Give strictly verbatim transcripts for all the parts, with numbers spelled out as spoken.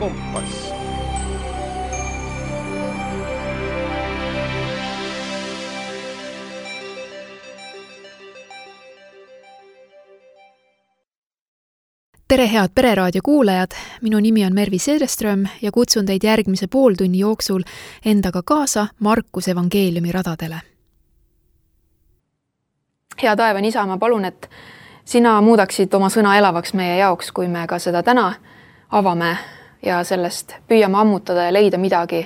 Kompass. Tere head Pereraadio kuulajad, minu nimi on Mervi Sedeström ja kutsun teid järgmise pooltunni jooksul endaga kaasa Markuse evangeeliumi radadele. Hea taevan isa, ma palun, et sina muudaksid oma sõna elavaks meie jaoks, kui me ka seda täna avame ja sellest püüame ammutada ja leida midagi,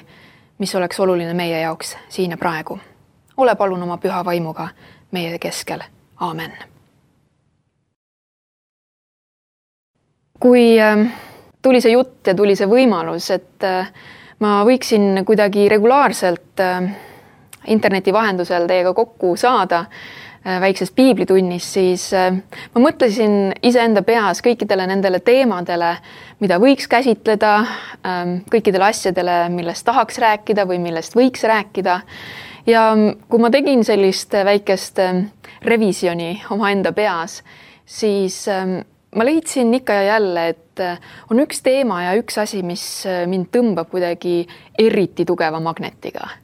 mis oleks oluline meie jaoks siin ja praegu. Ole palun oma püha vaimuga meie keskel. Aamen. Kui tuli see jutt ja tuli see võimalus, et ma võiksin kuidagi regulaarselt interneti vahendusel teiega kokku saada väikses piiblitunnis, siis ma mõtlesin iseenda peas kõikidele nendele teemadele, mida võiks käsitleda, kõikidele asjadele, millest tahaks rääkida või millest võiks rääkida. Ja kui ma tegin sellist väikest revisjoni oma enda peas, siis ma leidsin ikka ja jälle, et on üks teema ja üks asi, mis mind tõmbab kuidagi eriti tugeva magnetiga.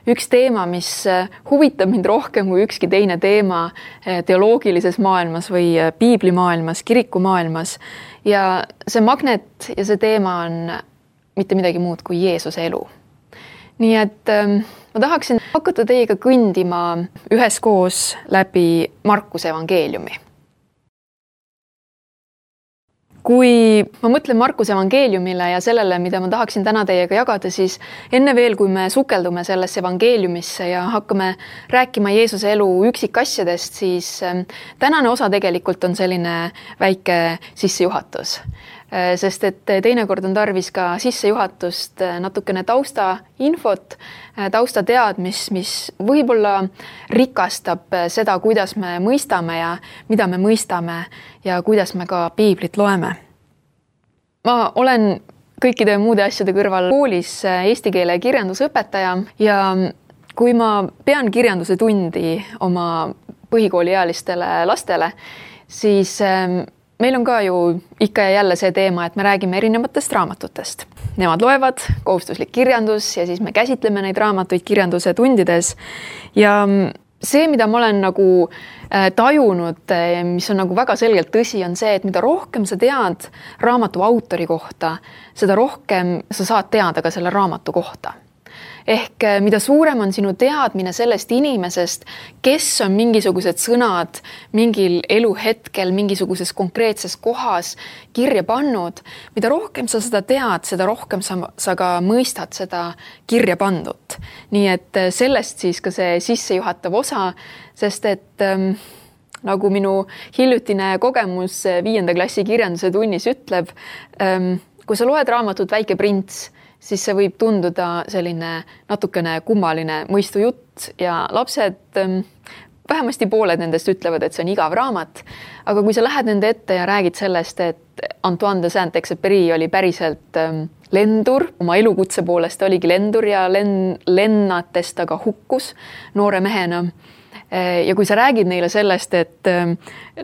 Üks teema, mis huvitab mind rohkem kui ükski teine teema teoloogilises maailmas või piiblimaailmas, kirikumaailmas. Ja see magnet ja see teema on mitte midagi muud kui Jeesuse elu. Nii et ma tahaksin hakata teiega kõndima üheskoos läbi Markuse evangeeliumi. Kui ma mõtlen Markuse evangeeliumile ja sellele, mida ma tahaksin täna teiega jagada, siis enne veel, kui me sukeldume sellesse evangeeliumisse ja hakkame rääkima Jeesuse elu üksikasjadest, siis tänane osa tegelikult on selline väike sissejuhatus. Sest et teinekord on tarvis ka sissejuhatust natukene tausta infot, tausta teadmis, mis võib-olla rikastab seda, kuidas me mõistame ja mida me mõistame ja kuidas me ka piiblit loeme. Ma olen kõikide muude asjade kõrval koolis eesti keele kirjandusõpetaja ja kui ma pean kirjanduse tundi oma põhikooliealistele lastele, siis meil on ka ju ikka ja jälle see teema, et me räägime erinevatest raamatutest. Nemad loevad kohustuslik kirjandus ja siis me käsitleme neid raamatuid kirjanduse tundides. Ja see, mida ma olen nagu tajunud, mis on nagu väga selgelt tõsi, on see, et mida rohkem sa tead raamatu autori kohta, seda rohkem sa saad teada ka selle raamatu kohta. Ehk mida suurem on sinu teadmine sellest inimesest, kes on mingisugused sõnad mingil eluhetkel, mingisuguses konkreetses kohas kirja pannud, mida rohkem sa seda tead, seda rohkem sa, sa ka mõistad seda kirja pandut. Nii et sellest siis ka see sissejuhatav osa, sest et ähm, nagu minu hiljutine kogemus viienda klassi kirjanduse tunnis ütleb, ähm, kui sa loed raamatut Väike prints, siis see võib tunduda selline natukene kummaline mõistujutt ja lapsed, vähemasti pooled nendest ütlevad, et see on igav raamat, aga kui sa lähed nende ette ja räägid sellest, et Antoine de Saint-Exupéry oli päriselt lendur, oma elukutse poolest oligi lendur ja len, lennates ta ka hukkus noore mehena. Ja kui sa räägid neile sellest, et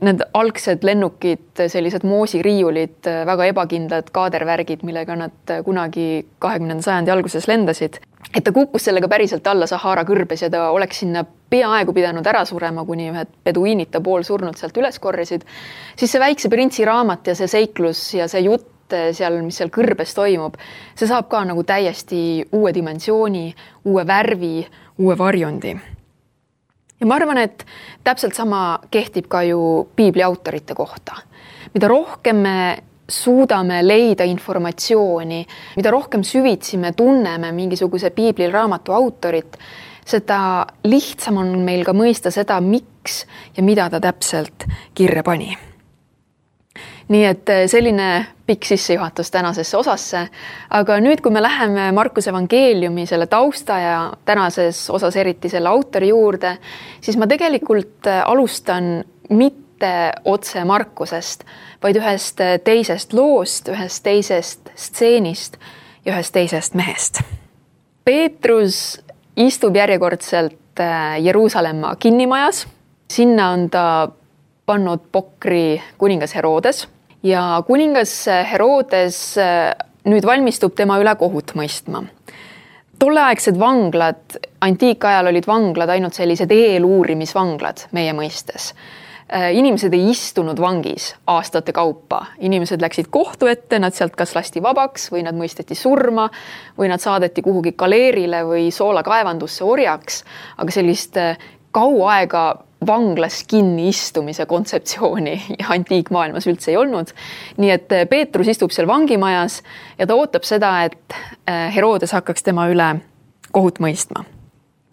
need algsed lennukid, sellised moosiriiulid, väga ebakindlad kaadervärgid, millega nad kunagi kahekümnenda sajandi alguses lendasid, et ta kukkus sellega päriselt alla Sahara kõrbes ja ta oleks sinna peaaegu pidanud ära surema, kuni ühed peduiinid ta pool surnult sealt üles korrisid, siis see Väikse printsi raamat ja see seiklus ja see jutt seal, mis seal kõrbes toimub, see saab ka nagu täiesti uue dimensiooni, uue värvi, uue varjundi. Ja ma arvan, et täpselt sama kehtib ka ju piibli autorite kohta. Mida rohkem me suudame leida informatsiooni, mida rohkem süvitsi me tunneme mingisuguse piibli raamatu autorit, seda lihtsam on meil ka mõista seda, miks ja mida ta täpselt kirja pani. Nii et selline pikk sissejuhatus tänasesse osasse, aga nüüd, kui me läheme Markuse evangeeliumi selle tausta ja tänases osas eriti selle autori juurde, siis ma tegelikult alustan mitte otse Markusest, vaid ühest teisest loost, ühest teisest stseenist ja ühest teisest mehest. Peetrus istub järjekordselt Jeruusalemma kinnimajas, sinna on ta pannud pokri kuningas Herodes ja kuningas Herodes nüüd valmistub tema üle kohut mõistma. Tolleaegsed vanglad, antiikajal olid vanglad ainult sellised eeluurimisvanglad meie mõistes. Inimesed ei istunud vangis aastate kaupa. Inimesed läksid kohtu ette, nad sealt kas lasti vabaks või nad mõisteti surma või nad saadeti kuhugi kaleerile või soolakaevandusse orjaks, aga sellist kaua aega vanglas kinni istumise kontseptsiooni ja antiikmaailmas üldse ei olnud. Nii et Peetrus istub seal vangimajas ja ta ootab seda, et Herodes hakkaks tema üle kohut mõistma.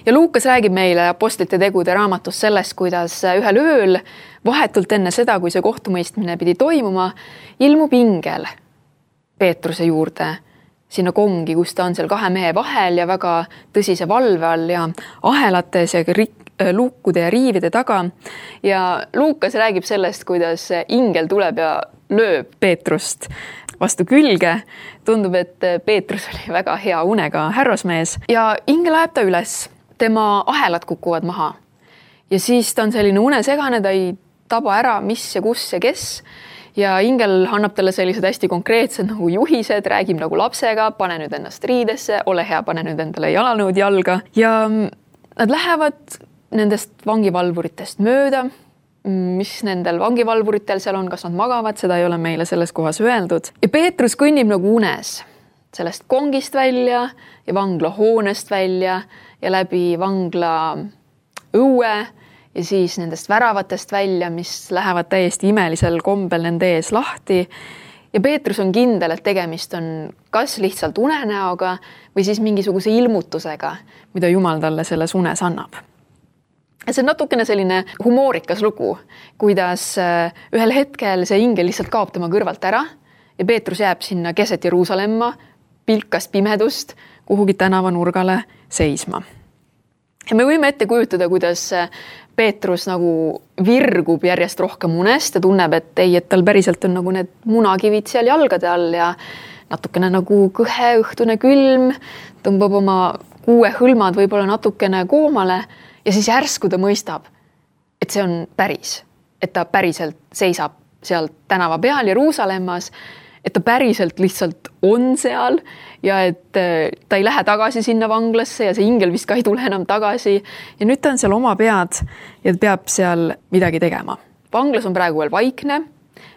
Ja Luukas räägib meile apostlite tegude raamatus sellest, kuidas ühel ööl, vahetult enne seda, kui see kohtumõistmine pidi toimuma, ilmub ingel Peetruse juurde sinna kongi, kus ta on seal kahe mehe vahel ja väga tõsise valve all ja ahelates ja luukude ja riivide taga. Ja Luukas räägib sellest, kuidas ingel tuleb ja lööb Peetrust vastu külge. Tundub, et Peetrus oli väga hea unega härrasmees ja ingel ajab ta üles. Tema ahelad kukuvad maha ja siis ta on selline unesegane, ta ei taba ära, mis ja kus ja kes. Ja ingel annab talle sellised hästi konkreetsed nagu juhised, räägib nagu lapsega, pane nüüd ennast riidesse, ole hea, pane nüüd endale jalanõud jalga. Ja nad lähevad nendest vangivalvuritest mööda, mis nendel vangivalvuritel seal on, kas nad magavad, seda ei ole meile selles kohas öeldud. Ja Peetrus kõnnib nagu unes sellest kongist välja ja vangla hoonest välja ja läbi vangla õue ja siis nendest väravatest välja, mis lähevad täiesti imelisel kombel nende ees lahti. Ja Peetrus on kindel, et tegemist on kas lihtsalt unenäoga või siis mingisuguse ilmutusega, mida Jumal talle selles unes annab. Ja see on natukene selline humoorikas lugu, kuidas ühel hetkel see ingel lihtsalt kaob tema kõrvalt ära ja Peetrus jääb sinna keset Jeruusalemma, pilkas pimedust, kuhugi tänavanurgale seisma. Ja me võime ette kujutada, kuidas Peetrus nagu virgub järjest rohkem unest ja tunneb, et ei, et tal päriselt on nagu need munakivid seal jalgade all ja natukene nagu kõhe õhtune külm, tõmbab oma kuue hõlmad võib-olla natukene koomale ja siis järsku ta mõistab, et see on päris, et ta päriselt seisab seal tänava peal Jeruusalemmas, et ta päriselt lihtsalt on seal ja et ta ei lähe tagasi sinna vanglasse ja see ingel vist ka ei tule enam tagasi. Ja nüüd ta on seal oma pead ja peab seal midagi tegema. Vanglas on praegu veel vaikne,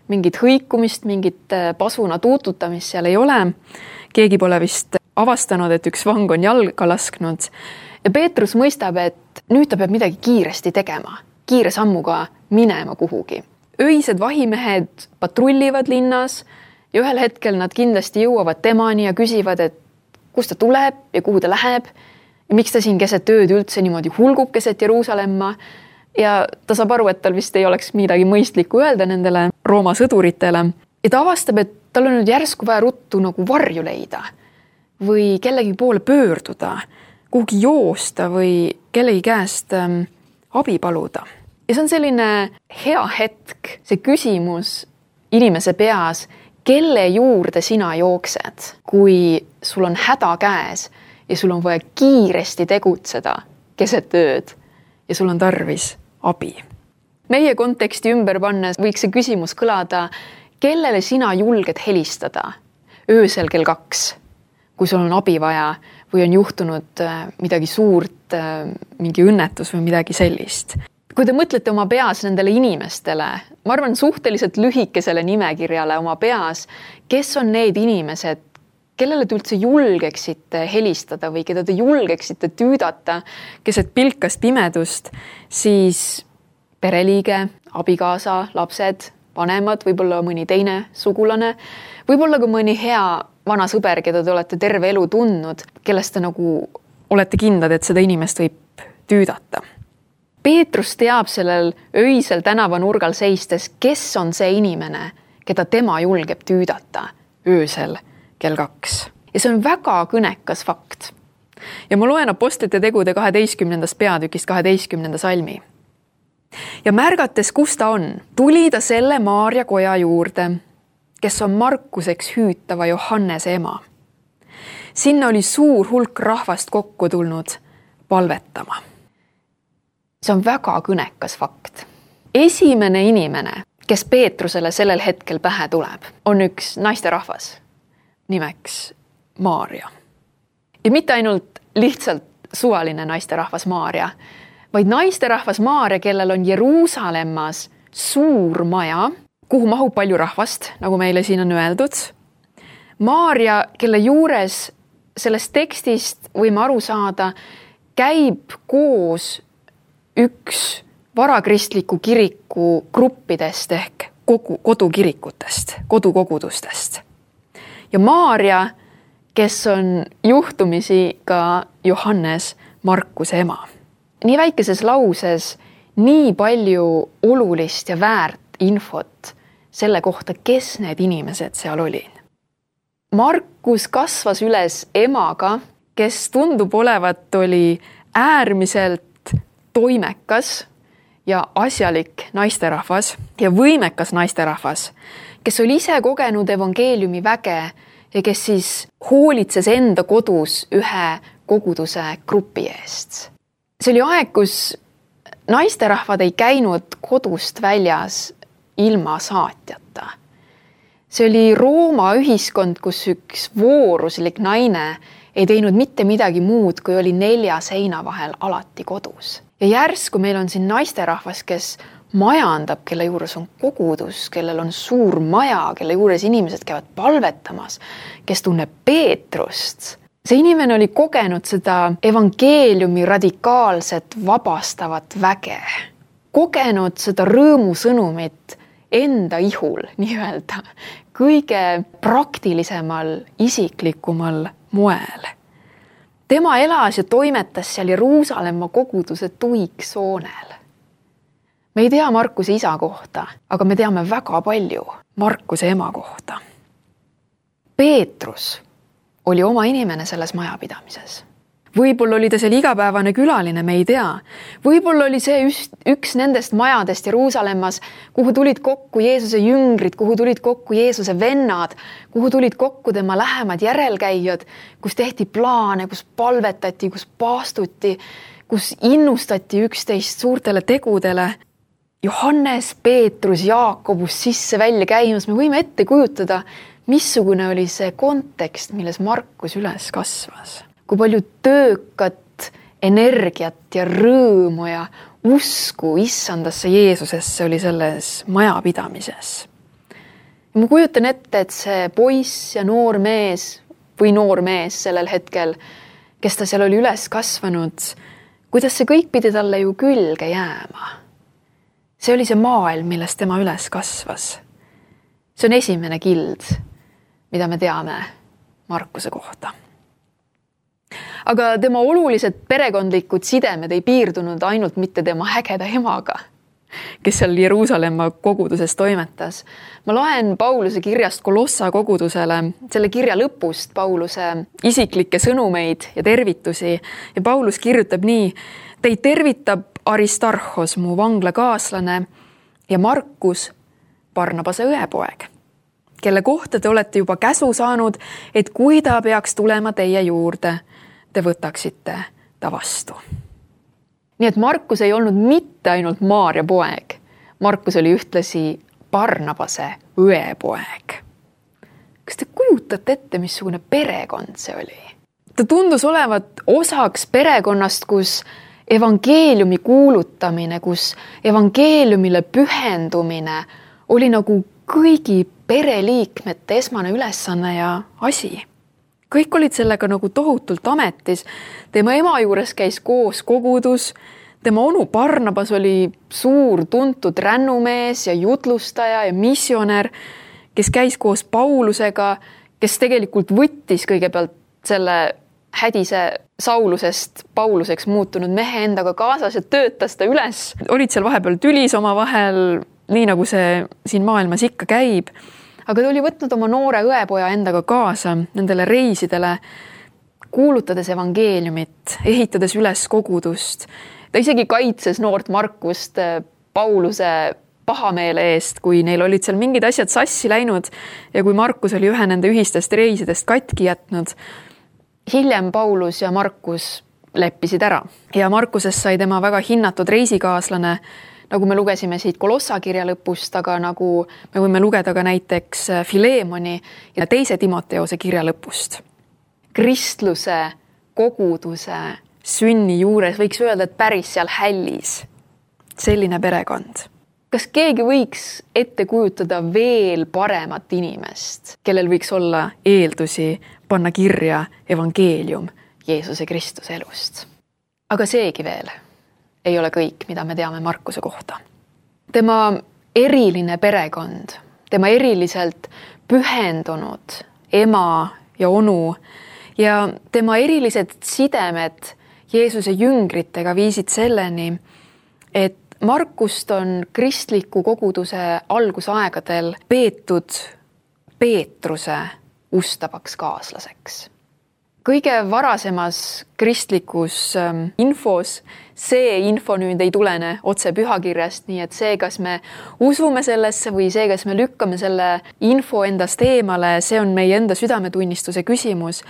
mingit hõikumist, mingit pasuna tuututamist seal ei ole. Keegi pole vist avastanud, et üks vang on jalga lasknud. Ja Peetrus mõistab, et nüüd ta peab midagi kiiresti tegema, kiire sammuga minema kuhugi. Öised vahimehed patrullivad linnas ja ühel hetkel nad kindlasti jõuavad temani ja küsivad, et kust ta tuleb ja kuhu ta läheb ja miks ta siin keset ööd üldse niimoodi hulgub keset Jeruusalemma. Ja ta saab aru, et tal vist ei oleks midagi mõistlikku öelda nendele Rooma sõduritele. Ja ta avastab, et tal on nüüd järsku vaja ruttu nagu varju leida või kellegi poole pöörduda, kuhugi joosta või kellegi käest ähm, abi paluda. Ja see on selline hea hetk, see küsimus inimese peas, kelle juurde sina jooksed, kui sul on häda käes ja sul on vaja kiiresti tegutseda keset ööd ja sul on tarvis abi. Meie konteksti ümber pannes võiks see küsimus kõlada, kellele sina julged helistada öösel kell kaks, kui sul on abi vaja või on juhtunud midagi suurt, mingi õnnetus või midagi sellist. Kui te mõtlete oma peas nendele inimestele, ma arvan suhteliselt lühikesele nimekirjale oma peas, kes on need inimesed, kellele te üldse julgeksite helistada või keda te julgeksite tüüdata keset pilkast pimedust, siis pereliige, abikaasa, lapsed, vanemad, võib-olla mõni teine sugulane, võib-olla ka mõni hea vana sõber, keda te olete terve elu tundnud, kellest te nagu olete kindlad, et seda inimest võib tüüdata. Peetrus teab sellel öisel tänavanurgal seistes, kes on see inimene, keda tema julgeb tüüdata öösel kell kaks. Ja see on väga kõnekas fakt. Ja ma loen apostlite tegude kaheteistkümnendast peatükist kaheteistkümnenda salmi. Ja märgates, kus ta on, tuli ta selle Maarja koja juurde, kes on Markuseks hüütava Johannese ema. Sinna oli suur hulk rahvast kokku tulnud palvetama. See on väga kõnekas fakt. Esimene inimene, kes Peetrusele sellel hetkel pähe tuleb, on üks naisterahvas. nimeks Maarja. Ja mitte ainult lihtsalt suvaline naisterahvas Maarja, vaid naisterahvas Maarja, kellel on Jeruusalemmas suur maja, kuhu mahub palju rahvast, nagu meile siin on öeldud. Maarja, kelle juures sellest tekstist võime aru saada, käib koos üks varakristliku kiriku gruppidest ehk kogu, kodukirikutest, kodukogudustest. Ja Maarja, kes on juhtumisi ka Johannes Markuse ema. Nii väikeses lauses nii palju olulist ja väärt infot selle kohta, kes need inimesed seal olid. Markus kasvas üles emaga, kes tundub olevat oli äärmiselt toimekas ja asjalik naisterahvas ja võimekas naisterahvas, kes oli ise kogenud evangeeliumi väge ja kes siis hoolitses enda kodus ühe koguduse grupi eest. See oli aeg, kus naisterahvad ei käinud kodust väljas ilma saatjata. See oli Rooma ühiskond, kus üks vooruslik naine ei teinud mitte midagi muud, kui oli nelja seina vahel alati kodus. Ja järsku meil on siin naisterahvas, kes majandab, kelle juures on kogudus, kellel on suur maja, kelle juures inimesed käivad palvetamas, kes tunneb Peetrust. See inimene oli kogenud seda evangeeliumi radikaalset vabastavat väge. Kogenud seda rõõmusõnumit enda ihul, nii öelda, kõige praktilisemal, isiklikumal moel. Tema elas ja toimetas seal Jeruusalemma koguduse tuiksoonel. Me ei tea Markuse isa kohta, aga me teame väga palju Markuse ema kohta. Peetrus oli oma inimene selles majapidamises. Võib-olla oli ta seal igapäevane külaline, me ei tea. Võib-olla oli see üks nendest majadest Jeruusalemmas, kuhu tulid kokku Jeesuse jüngrid, kuhu tulid kokku Jeesuse vennad, kuhu tulid kokku tema lähemad järelkäijad, kus tehti plaane, kus palvetati, kus paastuti, kus innustati üksteist suurtele tegudele. Johannes, Peetrus, Jaakobus sisse välja käimas, me võime ette kujutada, missugune oli see kontekst, milles Markus üles kasvas. Kui palju töökat, energiat ja rõõmu ja usku issandasse Jeesusesse oli selles majapidamises. Ja ma kujutan ette, et see poiss ja noor mees või noor mees sellel hetkel, kes ta seal oli üles kasvanud, kuidas see kõik pidi talle ju külge jääma. See oli see maailm, milles tema üles kasvas. See on esimene kild, mida me teame Markuse kohta. Aga tema olulised perekondlikud sidemed ei piirdunud ainult mitte tema ägeda emaga, kes seal Jeruusalemma koguduses toimetas. Ma loen Pauluse kirjast Kolossa kogudusele, selle kirja lõpust Pauluse isiklikke sõnumeid ja tervitusi. Ja Paulus kirjutab nii: teid tervitab Aristarhos, mu vanglakaaslane, ja Markus, Barnabase õepoeg, kelle kohta te olete juba käsu saanud, et kui ta peaks tulema teie juurde, te võtaksite ta vastu. Nii et Markus ei olnud mitte ainult Maarja poeg. Markus oli ühtlasi Barnabase õepoeg. Kas te kujutate ette, missugune perekond see oli? Ta tundus olevat osaks perekonnast, kus evangeeliumi kuulutamine, kus evangeeliumile pühendumine oli nagu kõigi pereliikmete esmane ülesanne ja asi. Kõik olid sellega nagu tohutult ametis. Tema ema juures käis koos kogudus. Tema onu Barnabas oli suur tuntud rännumees ja jutlustaja ja missionär, kes käis koos Paulusega, kes tegelikult võttis kõigepealt selle hädise Saulusest Pauluseks muutunud mehe endaga kaasas ja töötas ta üles. Olid seal vahepeal tülis oma vahel, nii nagu see siin maailmas ikka käib. Aga ta oli võtnud oma noore õepoja endaga kaasa nendele reisidele, kuulutades evangeeliumit, ehitades üles kogudust. Ta isegi kaitses noort Markust Pauluse pahameele eest, kui neil olid seal mingid asjad sassi läinud ja kui Markus oli ühe nende ühistest reisidest katki jätnud. Hiljem Paulus ja Markus leppisid ära ja Markusest sai tema väga hinnatud reisikaaslane, nagu me lugesime siit Kolossa kirja lõpust, aga nagu me võime lugeda ka näiteks Filemoni ja teise Timoteose kirja lõpust. Kristluse, koguduse, sünni juures võiks öelda, et päris seal hällis. Selline perekond. Kas keegi võiks ette kujutada veel paremat inimest, kellel võiks olla eeldusi panna kirja evangeelium Jeesuse Kristuse elust? Aga seegi veel ei ole kõik, mida me teame Markuse kohta. Tema eriline perekond, tema eriliselt pühendunud ema ja onu ja tema erilised sidemed Jeesuse jüngritega viisid selleni, et Markust on kristliku koguduse algusaegadel peetud Peetruse ustavaks kaaslaseks. Kõige varasemas kristlikus infos see info nüüd ei tulene otse pühakirjast, nii et see, kas me usume sellesse või see, kas me lükkame selle info endast eemale, see on meie enda südametunnistuse küsimus.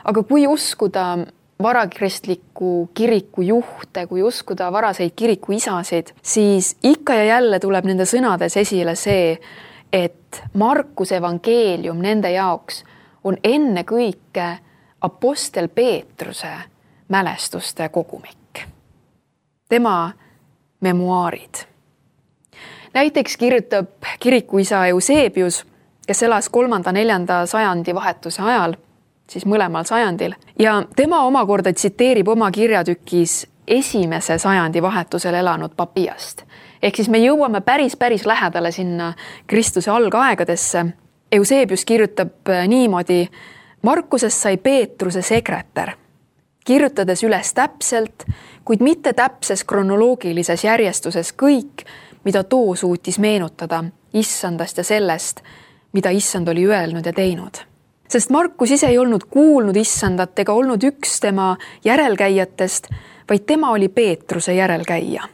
Aga kui uskuda varakristliku kiriku juhte, kui uskuda varaseid kiriku isasid, siis ikka ja jälle tuleb nende sõnades esile see, et Markuse evangeelium nende jaoks on enne kõike apostel Peetruse mälestuste kogumik. Tema memuaarid. Näiteks kirjutab kirikuisa Eusebius, kes elas kolmanda neljanda sajandi vahetuse ajal, siis mõlemal sajandil, ja tema omakorda tsiteerib oma kirjatükis esimese sajandi vahetusel elanud Papiast. Ehk siis me jõuame päris, päris lähedale sinna Kristuse algaegadesse. Eusebius kirjutab niimoodi: Markusest sai Peetruse sekretär, kirjutades üles täpselt, kuid mitte täpses kronoloogilises järjestuses kõik, mida too suutis meenutada issandast ja sellest, mida issand oli öelnud ja teinud. Sest Markus ise ei olnud kuulnud issandat ega olnud üks tema järelkäijatest, vaid tema oli Peetruse järelkäija.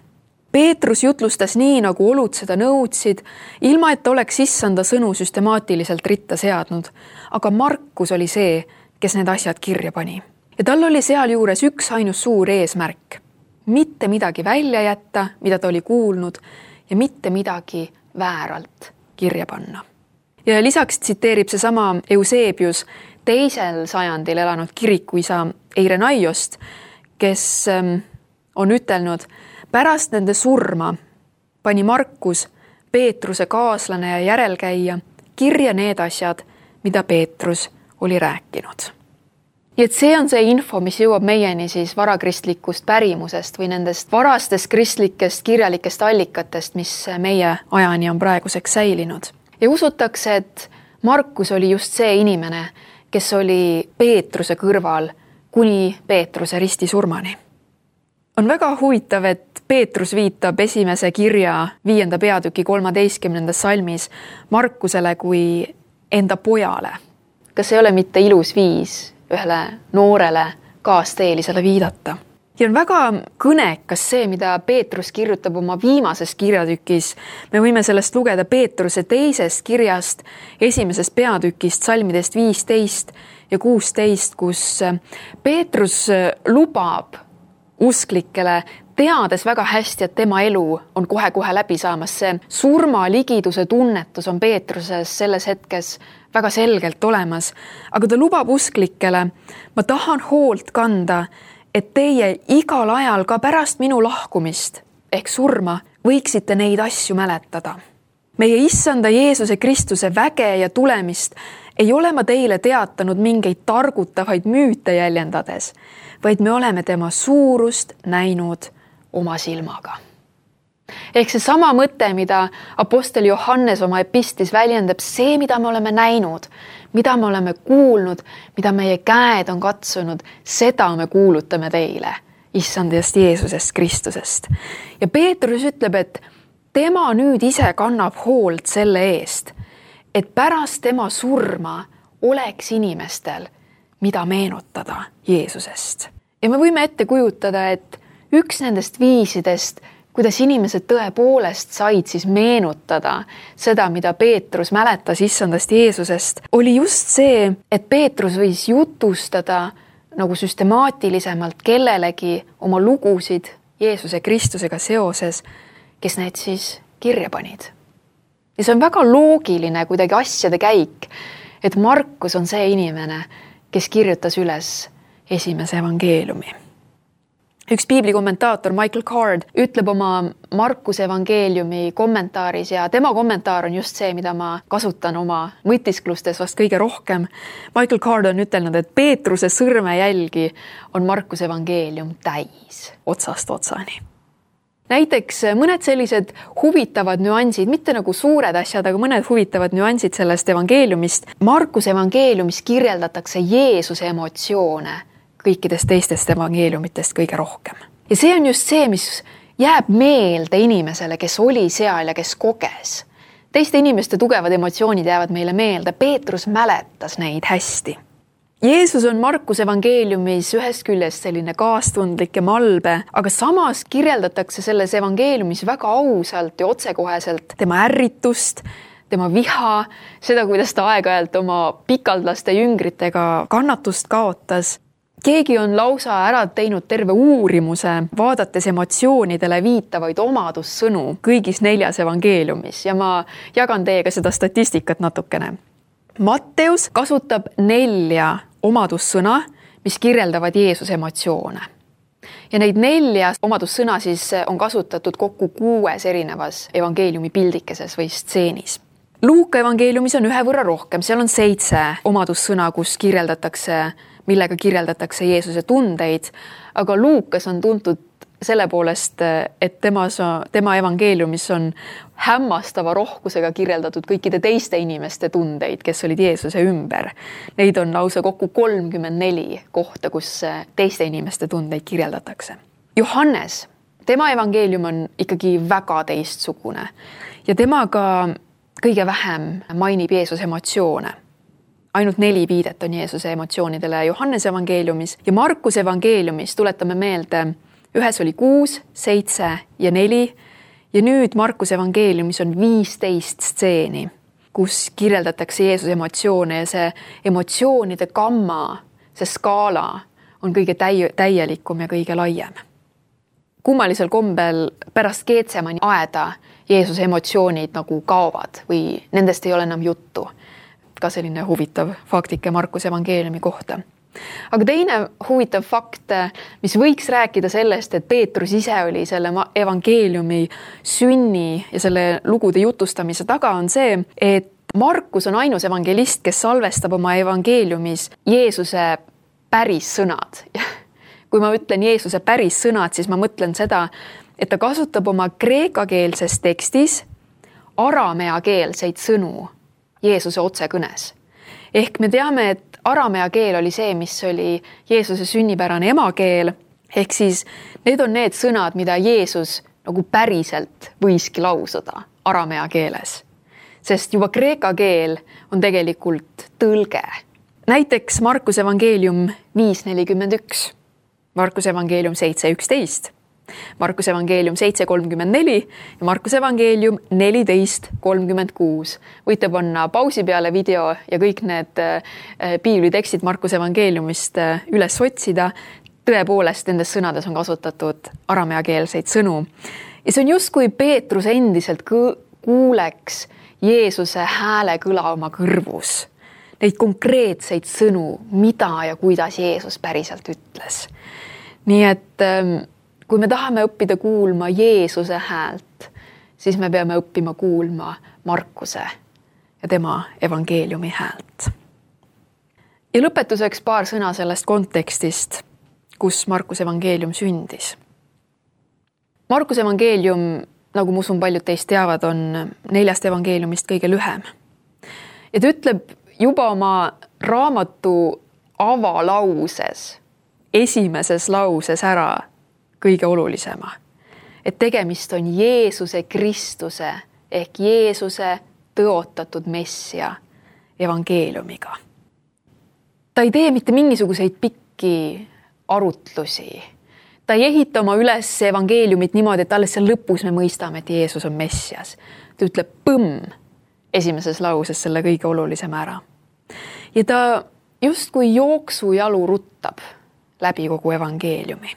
Peetrus jutlustas nii, nagu olud seda nõudsid, ilma et oleks issanda sõnu süstemaatiliselt ritta seadnud, aga Markus oli see, kes need asjad kirja pani. Ja tal oli seal juures üks ainus suur eesmärk. Mitte midagi välja jätta, mida ta oli kuulnud, ja mitte midagi vääralt kirja panna. Ja lisaks tsiteerib see sama Eusebius teisel sajandil elanud kirikuisa Eirenaiost, kes on ütelnud, pärast nende surma pani Markus, Peetruse kaaslane ja järelkäija, kirja need asjad, mida Peetrus oli rääkinud. Nii et see on see info, mis jõuab meieni siis varakristlikust pärimusest või nendest varastest kristlikest kirjalikest allikatest, mis meie ajani on praeguseks säilinud. Ja usutakse, et Markus oli just see inimene, kes oli Peetruse kõrval kuni Peetruse ristisurmani. On väga huvitav, et Peetrus viitab esimese kirja viienda peatüki kolmeteistkümnendas salmis Markusele kui enda pojale. Kas ei ole mitte ilus viis ühele noorele kaasteelisele viidata? Ja on väga kõnekas see, mida Peetrus kirjutab oma viimases kirjatükis. Me võime sellest lugeda Peetruse teisest kirjast, esimesest peatükist, salmidest viisteist ja kuusteist, kus Peetrus lubab usklikele, teades väga hästi, et tema elu on kohe-kohe läbi saamas. See surma ligiduse tunnetus on Peetruses selles hetkes väga selgelt olemas, aga ta lubab usklikele, ma tahan hoolt kanda, et teie igal ajal ka pärast minu lahkumist ehk surma võiksite neid asju mäletada. Meie issanda Jeesuse Kristuse väge ja tulemist ei ole ma teile teatanud mingeid targutavaid müüte jäljendades, vaid me oleme tema suurust näinud oma silmaga. Ehk see sama mõte, mida apostel Johannes oma epistlis väljendab, see, mida me oleme näinud, mida me oleme kuulnud, mida meie käed on katsunud, seda me kuulutame teile, issandast Jeesusest Kristusest. Ja Peetrus ütleb, et tema nüüd ise kannab hoolt selle eest, et pärast tema surma oleks inimestel, mida meenutada Jeesusest. Ja me võime ette kujutada, et üks nendest viisidest, kuidas inimesed tõepoolest said siis meenutada seda, mida Peetrus mäletas issandast Jeesusest, oli just see, et Peetrus võis jutustada nagu süstemaatilisemalt kellelegi oma lugusid Jeesuse Kristusega seoses kes need siis kirja panid. Ja see on väga loogiline kuidagi asjade käik, et Markus on see inimene, kes kirjutas üles esimese evangeeliumi. Üks piibli kommentaator Michael Card ütleb oma Markuse evangeeliumi kommentaaris ja tema kommentaar on just see, mida ma kasutan oma mõtisklustes vast kõige rohkem. Michael Card on ütelnud, et Peetruse sõrmejälgi on Markuse evangeelium täis otsast otsani. Näiteks mõned sellised huvitavad nüansid, mitte nagu suured asjad, aga mõned huvitavad nüansid sellest evangeeliumist. Markuse evangeeliumis kirjeldatakse Jeesuse emotsioone kõikidest teistest evangeeliumitest kõige rohkem. Ja see on just see, mis jääb meelde inimesele, kes oli seal ja kes koges. Teiste inimeste tugevad emotsioonid jäävad meile meelde. Peetrus mäletas neid hästi. Jeesus on Markuse evangeeliumis ühest küljest selline kaastundlik ja malbe, aga samas kirjeldatakse selles evangeeliumis väga ausalt ja otsekoheselt tema ärritust, tema viha, seda, kuidas ta aeg-ajalt oma pikaldlaste jüngritega kannatust kaotas. Keegi on lausa ära teinud terve uurimuse, vaadates emotsioonidele viitavaid omadussõnu kõigis neljas evangeeliumis ja ma jagan teiega seda statistikat natukene. Matteus kasutab nelja omadussõna, mis kirjeldavad Jeesuse emotsioone. Ja neid nelja omadussõna siis on kasutatud kokku kuues erinevas evangeeliumi pildikeses või stseenis. Luuka evangeeliumis on ühe võrra rohkem, seal on seitse omadussõna, kus kirjeldatakse, millega kirjeldatakse Jeesuse tundeid, aga Luukas on tuntud selle poolest, et temas, tema evangeeliumis on hämmastava rohkusega kirjeldatud kõikide teiste inimeste tundeid, kes olid Jeesuse ümber. Neid on lausa kokku kolmkümmend neli kohta, kus teiste inimeste tundeid kirjeldatakse. Johannes, tema evangeelium on ikkagi väga teistsugune ja temaga kõige vähem mainib Jeesuse emotsioone. Ainult neli viidet on Jeesuse emotsioonidele Johannes evangeeliumis ja Markuse evangeeliumis tuletame meelde, ühes oli kuus, seitse ja neli ja nüüd Markuse evangeeliumis on viisteist stseeni, kus kirjeldatakse Jeesuse emotsioone ja see emotsioonide gamma, see skaala on kõige täi- täielikum ja kõige laiem. Kummalisel kombel pärast Geetsemani aeda Jeesuse emotsioonid nagu kaovad või nendest ei ole enam juttu. Ka selline huvitav faktike Markuse evangeeliumi kohta. Aga teine huvitav fakt, mis võiks rääkida sellest, et Peetrus ise oli selle evangeeliumi sünni ja selle lugude jutustamise taga on see, et Markus on ainus evangelist, kes salvestab oma evangeeliumis Jeesuse päris sõnad. Kui ma ütlen Jeesuse päris sõnad, siis ma mõtlen seda, et ta kasutab oma kreekakeelses tekstis arameakeelseid sõnu Jeesuse otsekõnes. Ehk me teame, et aramea keel oli see, mis oli Jeesuse sünnipärane emakeel, ehk siis need on need sõnad, mida Jeesus nagu päriselt võiski lausuda aramea keeles. Sest juba kreeka keel on tegelikult tõlge. Näiteks Markuse evangeelium viis nelikümmend üks, Markuse evangeelium seitse üksteist, Markuse evangeelium seitse kolmkümmend neli ja Markuse evangeelium neliteist kolmkümmend kuus. Võite panna pausi peale video ja kõik need piiblitekstid Markuse evangeeliumist üles otsida. Tõepoolest nendes sõnades on kasutatud arameakeelseid sõnu. Ja see on just kui Peetrus endiselt kuuleks Jeesuse hääle kõla oma kõrvus. Neid konkreetseid sõnu, mida ja kuidas Jeesus päriselt ütles. Nii et kui me tahame õppida kuulma Jeesuse häält, siis me peame õppima kuulma Markuse ja tema evangeeliumi häält. Ja lõpetuseks paar sõna sellest kontekstist, kus Markuse evangeelium sündis. Markuse evangeelium, nagu ma usun paljud teist teavad, on neljast evangeeliumist kõige lühem. Ja ta ütleb juba oma raamatu avalauses, esimeses lauses ära kõige olulisema, et tegemist on Jeesuse Kristuse ehk Jeesuse tõotatud messia evangeeliumiga. Ta ei tee mitte mingisuguseid pikki arutlusi. Ta ei ehita oma üles evangeeliumit niimoodi, et alles seal lõpus me mõistame, et Jeesus on messias. Ta ütleb põmm esimeses lauses selle kõige olulisema ära. Ja ta justkui jooksujalu ruttab läbi kogu evangeeliumi.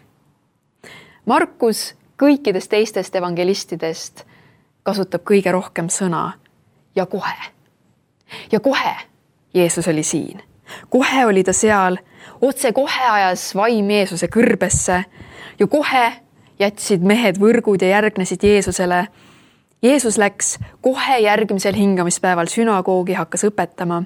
Markus kõikidest teistest evangelistidest kasutab kõige rohkem sõna ja kohe. Ja kohe Jeesus oli siin. Kohe oli ta seal, otse kohe ajas vaim Jeesuse kõrbesse ja kohe jätsid mehed võrgud ja järgnesid Jeesusele. Jeesus läks kohe järgmisel hingamispäeval sünagoogi, hakkas õpetama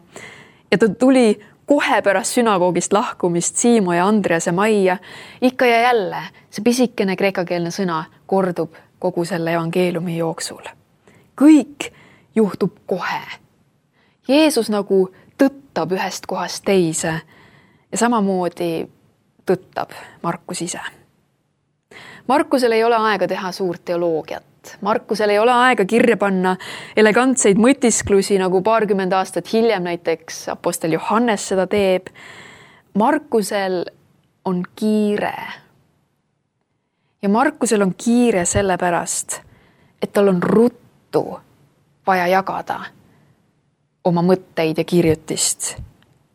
ja ta tuli kohe pärast sünagoogist lahkumist Siimo ja Andrease majja. Ikka ja jälle see pisikene kreekakeelne sõna kordub kogu selle evangeeliumi jooksul. Kõik juhtub kohe. Jeesus nagu tõttab ühest kohast teise ja samamoodi tõttab Markus ise. Markusel ei ole aega teha suurt teoloogiat. Markusel ei ole aega kirja panna elegantseid mõtisklusi, nagu paarkümmend aastat hiljem näiteks apostel Johannes seda teeb. Markusel on kiire. Ja Markusel on kiire sellepärast, et tal on ruttu vaja jagada oma mõtteid ja kirjutist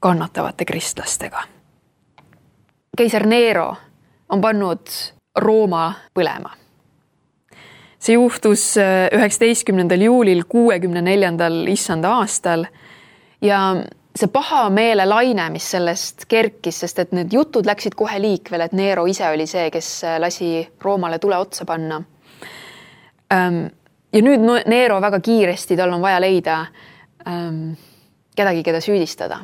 kannatavate kristlastega. Keiser Nero on pannud Rooma põlema. See juhtus üheksateistkümnendal juulil kuuekümne neljandal issanda aastal ja see paha meele laine, mis sellest kerkis, sest et need jutud läksid kohe liikvele, et Nero ise oli see, kes lasi Roomale tule otsa panna. Ja nüüd Nero väga kiiresti, tal on vaja leida kedagi, keda süüdistada.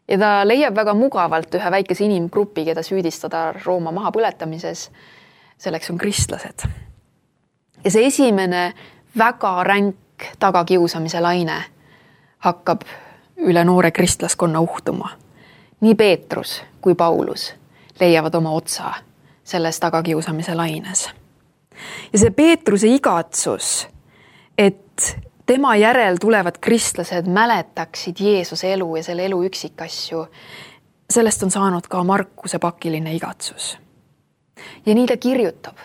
Ja ta leiab väga mugavalt ühe väikese inimgrupi, keda süüdistada Rooma maha põletamises. Selleks on kristlased. Ja see esimene väga ränk tagakiusamise laine hakkab üle noore kristlaskonna uhtuma. Nii Peetrus kui Paulus leiavad oma otsa selles tagakiusamise laines. Ja see Peetruse igatsus, et tema järel tulevad kristlased mäletaksid Jeesuse elu ja selle elu üksikasju, sellest on saanud ka Markuse pakiline igatsus. Ja nii ta kirjutab.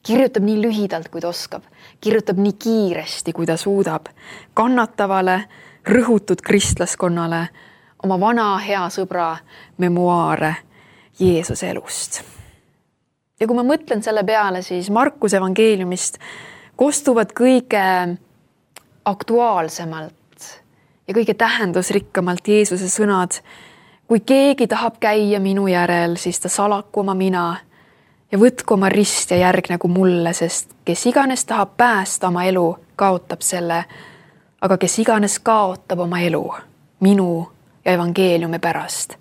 Kirjutab nii lühidalt, kui ta oskab. Kirjutab nii kiiresti, kui ta suudab. Kannatavale, rõhutud kristlaskonnale oma vana hea sõbra memuaare Jeesuse elust. Ja kui ma mõtlen selle peale, siis Markuse evangeeliumist kostuvad kõige aktuaalsemalt ja kõige tähendusrikkamalt Jeesuse sõnad. Kui keegi tahab käia minu järel, siis ta salaku oma mina ja võtku oma rist ja järgnegu mulle, sest kes iganes tahab päästa oma elu, kaotab selle, aga kes iganes kaotab oma elu, minu ja evangeeliumi pärast,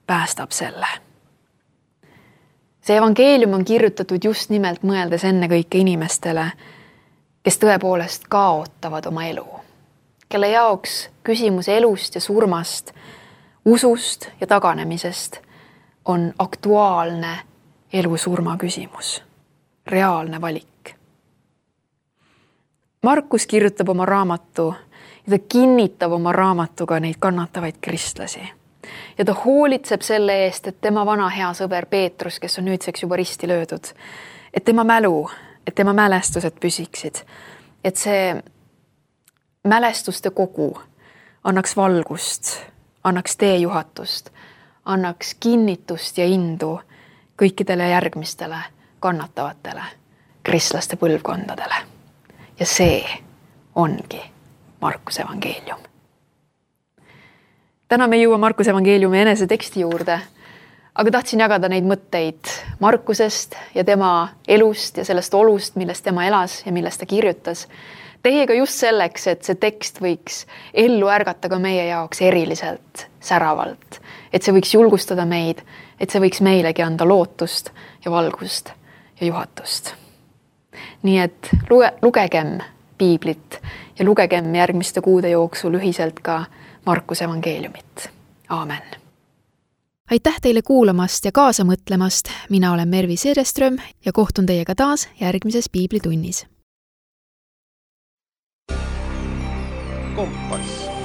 päästab selle. See evangeelium on kirjutatud just nimelt mõeldes enne kõike inimestele, kes tõepoolest kaotavad oma elu, kelle jaoks küsimus elust ja surmast, usust ja taganemisest on aktuaalne elu-surma küsimus, reaalne valik. Markus kirjutab oma raamatu ja ta kinnitab oma raamatuga neid kannatavaid kristlasi. Ja ta hoolitseb selle eest, et tema vana hea sõber Peetrus, kes on nüüdseks juba risti löödud, et tema mälu, et tema mälestused püsiksid, et see mälestuste kogu annaks valgust, annaks teejuhatust, annaks kinnitust ja indu kõikidele järgmistele kannatavatele kristlaste põlvkondadele. Ja see ongi Markuse evangeelium. Täna me jõua Markuse evangeeliumi enese teksti juurde, aga tahtsin jagada neid mõtteid Markusest ja tema elust ja sellest olust, millest tema elas ja millest ta kirjutas. Teiega just selleks, et see tekst võiks ellu ärgata ka meie jaoks eriliselt, säravalt. Et see võiks julgustada meid, et see võiks meilegi anda lootust ja valgust ja juhatust. Nii et luge, lugegem piiblit ja lugegem järgmiste kuude jooksul ühiselt ka Markuse evangeeliumit. Aamen. Aitäh teile kuulamast ja kaasa mõtlemast. Mina olen Mervi Seereström ja kohtun teiega taas järgmises piiblitunnis. Kompass.